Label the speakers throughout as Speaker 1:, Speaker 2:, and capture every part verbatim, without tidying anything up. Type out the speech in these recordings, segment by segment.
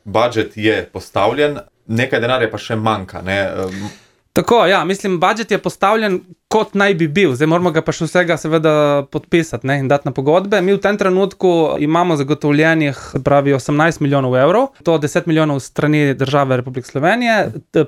Speaker 1: budžet je postavljen, nekaj denarja pa še manjka, ne?
Speaker 2: Tako, ja, mislim, budžet je postavljen kot naj bi bil, zdaj moramo ga pa še vsega seveda podpisati, ne, in dati na pogodbe. Mi v tem trenutku imamo zagotovljenih, pravi, osemnajst milijonov evrov, to deset milijonov strani države Republike Slovenije,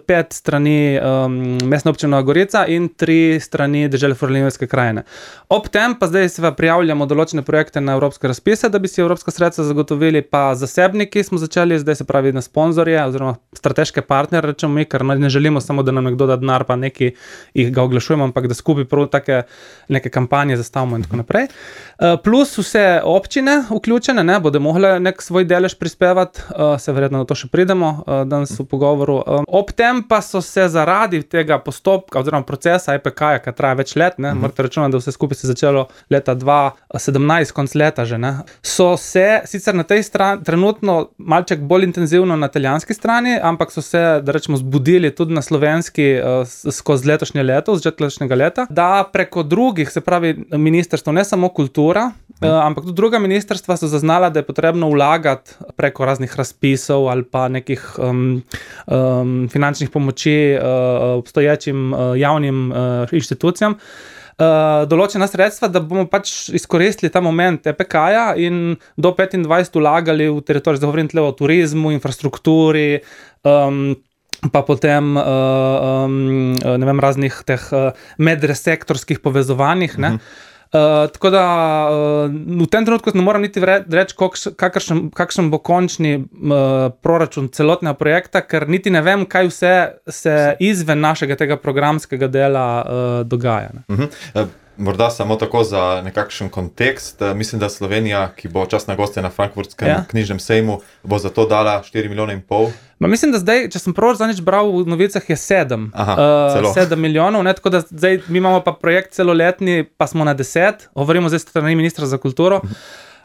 Speaker 2: pet strani um, Mestne občine Nova Gorica in tri strani dežele Furlanijske krajine. Ob tem pa zdaj se prijavljamo določene projekte na evropske razpise, da bi si evropska sredstva zagotovili, pa zasebniki smo začeli, zdaj se pravi na sponzorje oziroma strateške partnerje, rečemo mi, ker ne želimo samo, da nam nekdo da denar, pa neki jih ga oglašujemo, ampak da skupaj prav take neke kampanje zastavimo in tako naprej. Uh, plus vse občine vključene, ne, bodo mogle nek svoj delež prispevati, uh, se verjetno na to še pridemo uh, danes v pogovoru. Um, ob tem pa so se zaradi tega postopka oziroma procesa E P K-ja, ki traja več let, ne, uh-huh. morate računati, da vse skupaj se začelo leta dva sedemnajst, konc leta že, ne, so se sicer na tej strani trenutno malček bolj intenzivno na italijanski strani, ampak so se, da rečemo, zbudili tudi na slovenski uh, skozi letošnje leto, z letošnjega leta, da preko drugih, se pravi ministrstvo, ne samo kultura, hmm. eh, ampak tudi druga ministrstva so zaznala, da je potrebno vlagati preko raznih razpisov ali pa nekih um, um, finančnih pomoči uh, obstoječim uh, javnim uh, inštitucijam, Uh, določena sredstva, da bomo pač izkoristili ta moment E P K-ja in do petindvajset vlagali v teritorij, zdaj govorim tle o turizmu, infrastrukturi, um, pa potem uh, um, ne vem, raznih teh uh, medresektorskih povezovanjih, ne. Uh-huh. Uh, tako da uh, v tem trenutku ne moram niti reči, kakšen, kakšen bo končni uh, proračun celotnega projekta, ker niti ne vem, kaj vse se izven našega tega programskega dela uh, dogaja. Ne.
Speaker 1: Uh-huh. Uh, morda samo tako za nekakšen kontekst. Uh, mislim, da Slovenija, ki bo častna gostja na Frankfurtskem ja. knjižnem sejmu, bo za to dala štiri milijone in pol.
Speaker 2: Ma mislim, da zdaj, če sem prav zadnjič bral v novicah, je sedem.
Speaker 1: Aha,
Speaker 2: uh, sedem milijonov, ne, tako da zdaj mi imamo pa projekt celoletni, pa smo na deset, govorimo zdaj strani ministra za kulturo.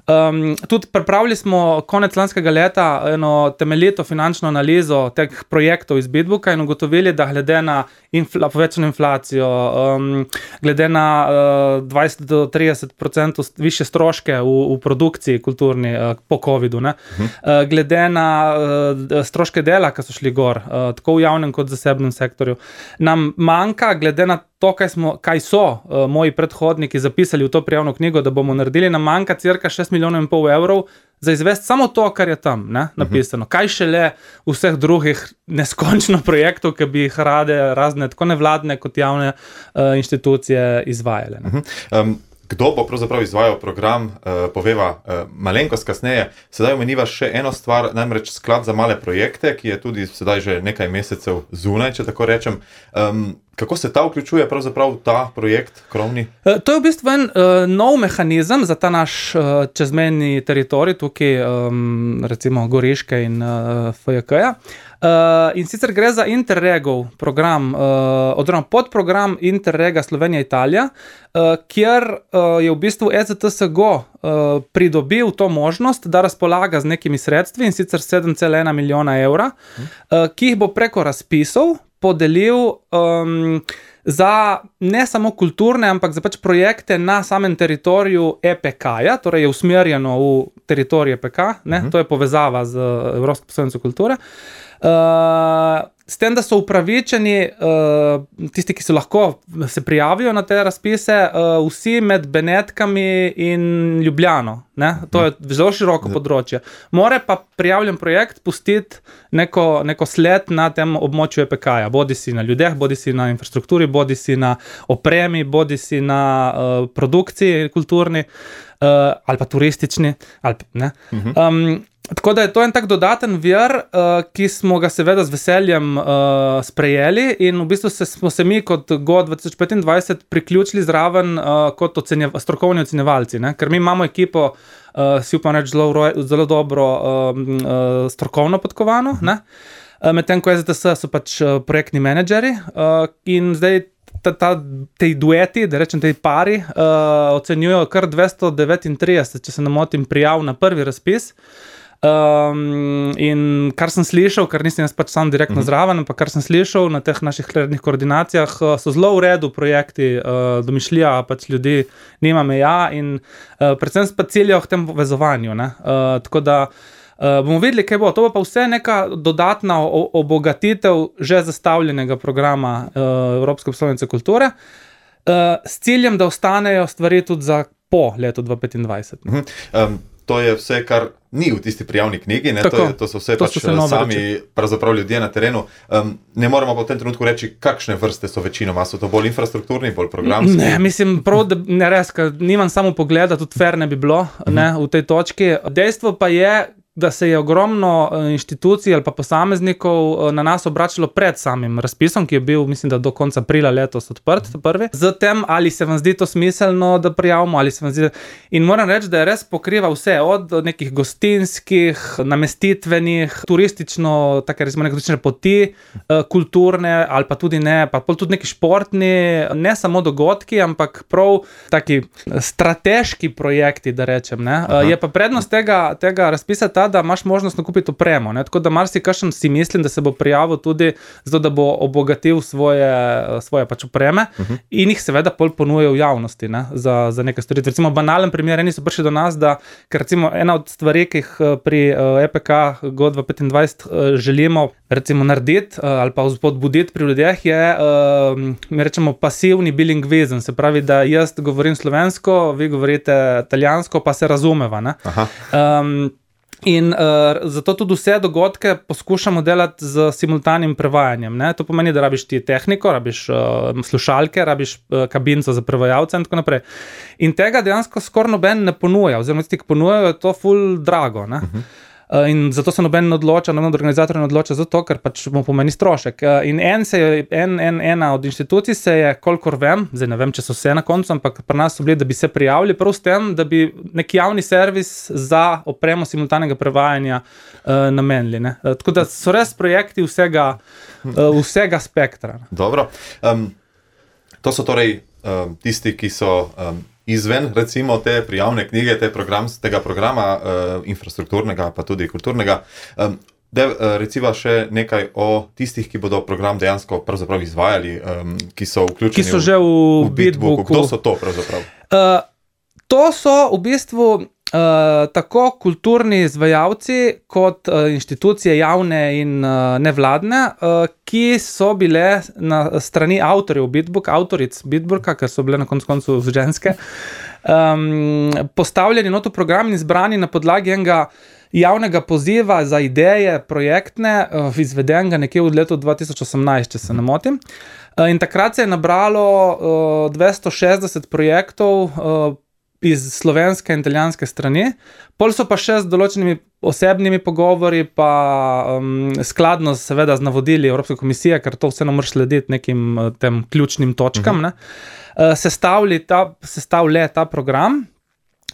Speaker 2: Um, tudi pripravili smo konec lanskega leta eno temeljito finančno analizo teh projektov iz Bitbooka in ugotovili, da glede na infla, povečano inflacijo, um, glede na uh, dvajset do trideset procentov više stroške v, v produkciji kulturni uh, po covidu, ne, uh-huh. uh, glede na uh, stroške dela, ki so šli gor, uh, tako v javnem kot zasebnem sektorju, nam manjka, glede na to, kaj, smo, kaj so uh, moji predhodniki zapisali v to prijavno knjigo, da bomo naredili, nam manjka cirka šest milijonov in pol evrov za izvesti samo to, kar je tam, ne, napisano. Uh-huh. Kaj šele vseh drugih neskončno projektov, ki bi jih rade razne, tako nevladne kot javne uh, inštitucije izvajale. Ne.
Speaker 1: Uh-huh. Um, kdo bo pravzaprav izvajal program, uh, poveva uh, malenkost kasneje. Sedaj omeniva še eno stvar, namreč sklad za male projekte, ki je tudi sedaj že nekaj mesecev zunaj, če tako rečem. Um, Kako se ta vključuje pravzaprav v ta projekt krovni?
Speaker 2: To je v bistvu en uh, nov mehanizem za ta naš uh, čezmejni teritorij, tukaj um, recimo Goriške in uh, F J K-ja. Uh, in sicer gre za Interregov program, uh, oziroma podprogram Interrega Slovenija-Italija, uh, kjer uh, je v bistvu E C T S G uh, pridobil to možnost, da razpolaga z nekimi sredstvi, in sicer sedem cela ena milijona evra, hmm. uh, ki jih bo preko razpisov podelil um, za ne samo kulturne, ampak za pač projekte na samem teritoriju E P K-ja, torej je usmerjeno v teritorij E P K, ne, uh-huh. to je povezava z Evropsko prestolnico kulture. Uh, s tem, da so upravičeni uh, tisti, ki so lahko se prijavijo na te razpise, uh, vsi med Benetkami in Ljubljano. Ne? To je zelo široko področje. More pa prijavljen projekt pustiti neko, neko sled na tem območju E P K-ja, bodi si na ljudeh, bodi si na infrastrukturi, bodi si na opremi, bodi si na uh, produkciji kulturni uh, ali pa turistični. Ali, ne? Uh-huh. Um, Tako da je to en tak dodaten vir, uh, ki smo ga seveda z veseljem uh, sprejeli, in v bistvu se, smo se mi kot G O dvajset petindvajset priključili zraven uh, kot ocenjev, strokovni ocenjevalci, ne? Ker mi imamo ekipo, uh, si upam reči, zelo, zelo dobro uh, uh, strokovno podkovano, ne? Uh, medtem ko E Z T S so pač uh, projektni menedžeri uh, in zdaj ta, ta, te dueti, da rečem, te pari uh, ocenjujo kar dvesto devetintrideset, če se ne motim, prijav na prvi razpis. Um, in kar sem slišal, kar nisem jaz pač sam direktno uh-huh. zraven, ampak kar sem slišal na teh naših rednih koordinacijah, so zelo v redu projekti, uh, domišljija pač ljudi nima meja in uh, predvsem pa ciljajo k tem povezovanju. Ne? Uh, tako da Uh, bomo videli, kaj bo. To bo pa vse neka dodatna obogatitev že zastavljenega programa uh, Evropske prestolnice kulture, uh, s ciljem, da ostanejo stvari tudi za po letu dva tisoč petindvajset.
Speaker 1: Uh-huh. Um, to je vse, kar ni v tisti prijavni knjigi, ne? To, je, to so vse
Speaker 2: to
Speaker 1: pač
Speaker 2: so se
Speaker 1: sami pravzaprav ljudje na terenu. Um, ne moramo pa v tem trenutku reči, kakšne vrste so večinoma. So to bolj infrastrukturni, bolj programski?
Speaker 2: Ne, mislim, prav, da ne res, nimam samo pogleda, tudi fair ne bi bilo uh-huh. ne, v tej točki. Dejstvo pa je, da se je ogromno inštitucij ali pa posameznikov na nas obračalo pred samim razpisom, ki je bil, mislim, da do konca aprila letos odprt, prvi. Zatem, ali se vam zdi to smiselno, da prijavimo, ali se vam zdi... In moram reči, da je res pokriva vse, od nekih gostinskih, namestitvenih, turistično, take recimo neke turistične poti, kulturne, ali pa tudi ne, pa tudi neki športni, ne samo dogodki, ampak prav taki strateški projekti, da rečem, ne. Aha. Je pa prednost tega, tega razpisa ta, da imaš možnost nakupiti opremo, ne? Tako da marsikakšen si mislim, da se bo prijavil tudi zato, da bo obogatil svoje, svoje pač opreme uh-huh. in jih seveda pol ponuje v javnosti, ne? Za, za nekaj storitve. Recimo banalen primer, eni so prišli do nas, da ker recimo ena od stvari, ki jih pri E P K Go dva tisoč petindvajset želimo recimo narediti ali pa spodbuditi pri ljudeh je, mi rečemo, pasivni bilingvizem, se pravi, da jaz govorim slovensko, vi govorite italijansko, pa se razumeva, ne? Aha. Um, In uh, zato tudi vse dogodke poskušamo delati z simultanim prevajanjem. Ne? To pomeni, da rabiš ti tehniko, rabiš uh, slušalke, rabiš uh, kabinco za prevajalce in tako naprej. In tega dejansko skoraj noben ne ponuja, oziroma tisti, ki ponujajo, je to ful drago. Ne? Uh-huh. Uh, in zato se noben ne odloča, noben od organizatorjev ne odloča zato, ker pač mu pomeni strošek. Uh, in en se je, en, en, ena od inštitucij se je, kolikor vem, zdaj ne vem, če so vse na koncu, ampak pri nas so bili, da bi se prijavili prav s tem, da bi neki javni servis za opremo simultanega prevajanja uh, namenili. Ne? Uh, tako da so res projekti vsega, uh, vsega spektra.
Speaker 1: Dobro. Um, to so torej um, tisti, ki so... Um, izven, recimo, te prijavne knjige, te program, tega programa, uh, infrastrukturnega, pa tudi kulturnega. Um, de, uh, recimo še nekaj o tistih, ki bodo program dejansko pravzaprav izvajali, um, ki so vključeni
Speaker 2: ki so že v, v Bitbooku.
Speaker 1: Kdo so to pravzaprav?
Speaker 2: Uh, to so v bistvu Uh, tako kulturni izvajalci kot uh, inštitucije javne in uh, nevladne, uh, ki so bile na strani avtorjev Bitbook, avtoric Bitbooka, ker so bile na koncu koncu ženske, um, postavljeni not v program in izbrani na podlagi enega javnega poziva za ideje projektne, uh, izvedenega nekje v letu dva tisoč osemnajst, če se ne motim. Uh, in takrat se je nabralo uh, dvesto šestdeset projektov uh, iz slovenske in italijanske strani. Pol so pa še z določenimi osebnimi pogovori, pa um, skladno seveda z navodili Evropske komisije, ker to vseeno moraš slediti nekim tem ključnim točkam, uh-huh. ne, uh, sestavili ta, sestavlja ta program.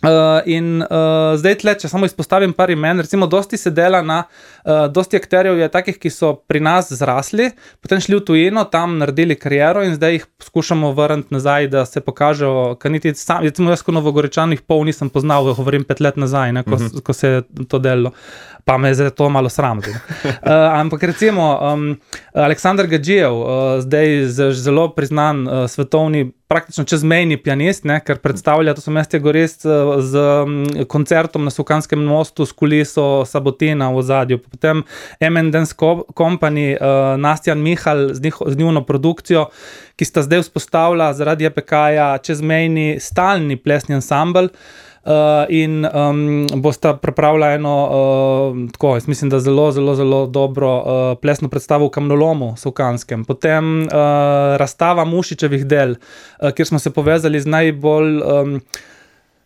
Speaker 2: Uh, in uh, zdaj tle, če samo izpostavim par imen, recimo dosti se dela na, uh, dosti akterjev je takih, ki so pri nas zrasli, potem šli v tujino, tam naredili kariero in zdaj jih skušamo vrniti nazaj, da se pokažejo, ker niti sam, recimo jaz ko Novogoričan jih pol nisem poznal, govorim pet let nazaj, ne, ko, uh-huh. ko se je to delalo, pa me je to malo sram. uh, ampak recimo um, Aleksandar Gadžijev, uh, zdaj zelo priznan uh, svetovni praktično čezmejni pianist, ne, ker predstavlja, to so Mestje Gorist z um, koncertom na Sukanskem mostu, s kuliso Sabotina v ozadju, potem M and Dance Company, uh, Nastjan Mihal z, njiho, z njuno produkcijo, ki sta zdaj vzpostavila zaradi E P K-ja čezmejni stalni plesni ansambl, Uh, in um, bosta pripravila eno, uh, tako, jaz mislim, da zelo, zelo, zelo dobro uh, plesno predstavo v Kamnolomu Sukanskem. Potem uh, razstava Mušičevih del, uh, kjer smo se povezali z najbolj um,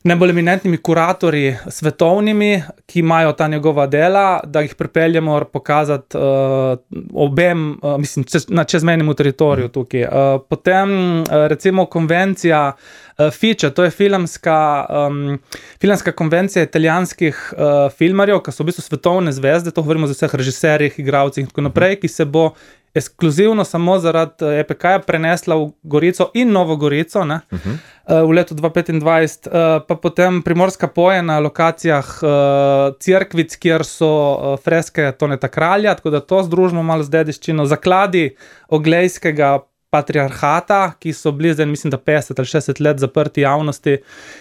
Speaker 2: najbolj eminentnimi kuratorji svetovnimi, ki imajo ta njegova dela, da jih pripeljemo pokazati uh, obem, uh, mislim, čez, na čezmejnem teritoriju tukaj. Uh, potem uh, recimo konvencija uh, Fiče, to je filmska, um, filmska konvencija italijanskih uh, filmarjev, ki so v bistvu svetovne zvezde, to govorimo za vseh režiserjih, igralcih in tako naprej, ki se bo ekskluzivno samo zaradi E P K-ja prenesla v Gorico in Novo Gorico, ne, uh-huh. v letu dva tisoč petindvajset, pa potem Primorska poje na lokacijah Cerkvic, kjer so freske Toneta Kralja, tako da to združimo malo z dediščino, zakladi Oglejskega patriarhata, ki so bili zdaj, mislim, da petdeset ali šestdeset let zaprti javnosti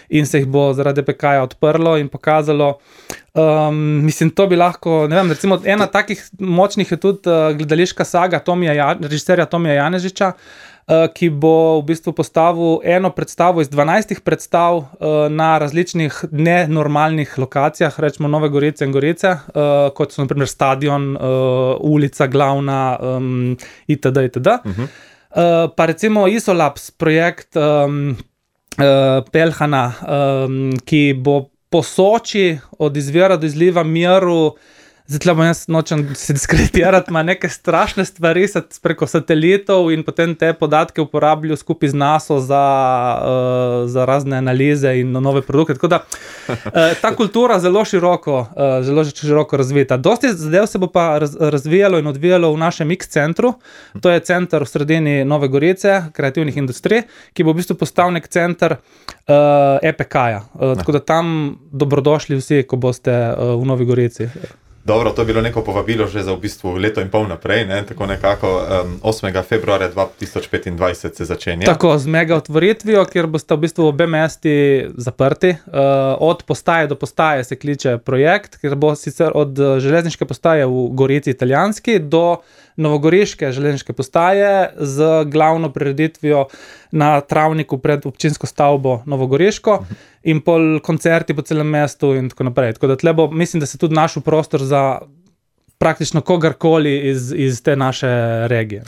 Speaker 2: in se jih bo zaradi P K-ja odprlo in pokazalo. Um, mislim, to bi lahko, ne vem, recimo ena takih močnih je tudi uh, gledališka saga Tomija ja, režiserja Tomija Janežiča, uh, ki bo v bistvu postavil eno predstavo iz dvanajstih predstav uh, na različnih nenormalnih lokacijah, rečemo Nove Gorice in Gorice, uh, kot so na primer stadion, uh, ulica glavna, um, itd. itd. Uh-huh. Uh, pa recimo Isolabs projekt um, uh, Pelhana, um, ki bo po Soči od izvira do izliva miru, zdaj tle bom jaz nočem se diskreditirati, ima neke strašne stvari preko satelitov in potem te podatke uporabljajo skupaj z NASA za, uh, za razne analize in nove produkte. Tako da uh, ta kultura zelo široko, uh, zelo široko razvita. Dosti zadev se bo pa raz, razvijalo in odvijalo v našem X-centru. To je center v sredini Nove Gorice, kreativnih industrij, ki bo v bistvu postal nek center uh, E P K-ja. Uh, tako da tam dobrodošli vsi, ko boste uh, v Novi Gorici.
Speaker 1: Dobro, to je bilo neko povabilo že za v bistvu leto in pol naprej, ne? Tako nekako um, osmega februarja dva tisoč petindvajset se začenja. Tako,
Speaker 2: z mega otvoritvijo, kjer boste v bistvu obe mesti zaprti. Uh, od postaje do postaje se kliče projekt, kjer bo sicer od železniške postaje v Gorici italijanski do novogoriške železniške postaje z glavno prireditvijo na travniku pred občinsko stavbo Novogoriško in pol koncerti po celem mestu in tako naprej. Tako da tle bo, mislim, da se tudi našel prostor za praktično kogarkoli iz, iz te naše regije.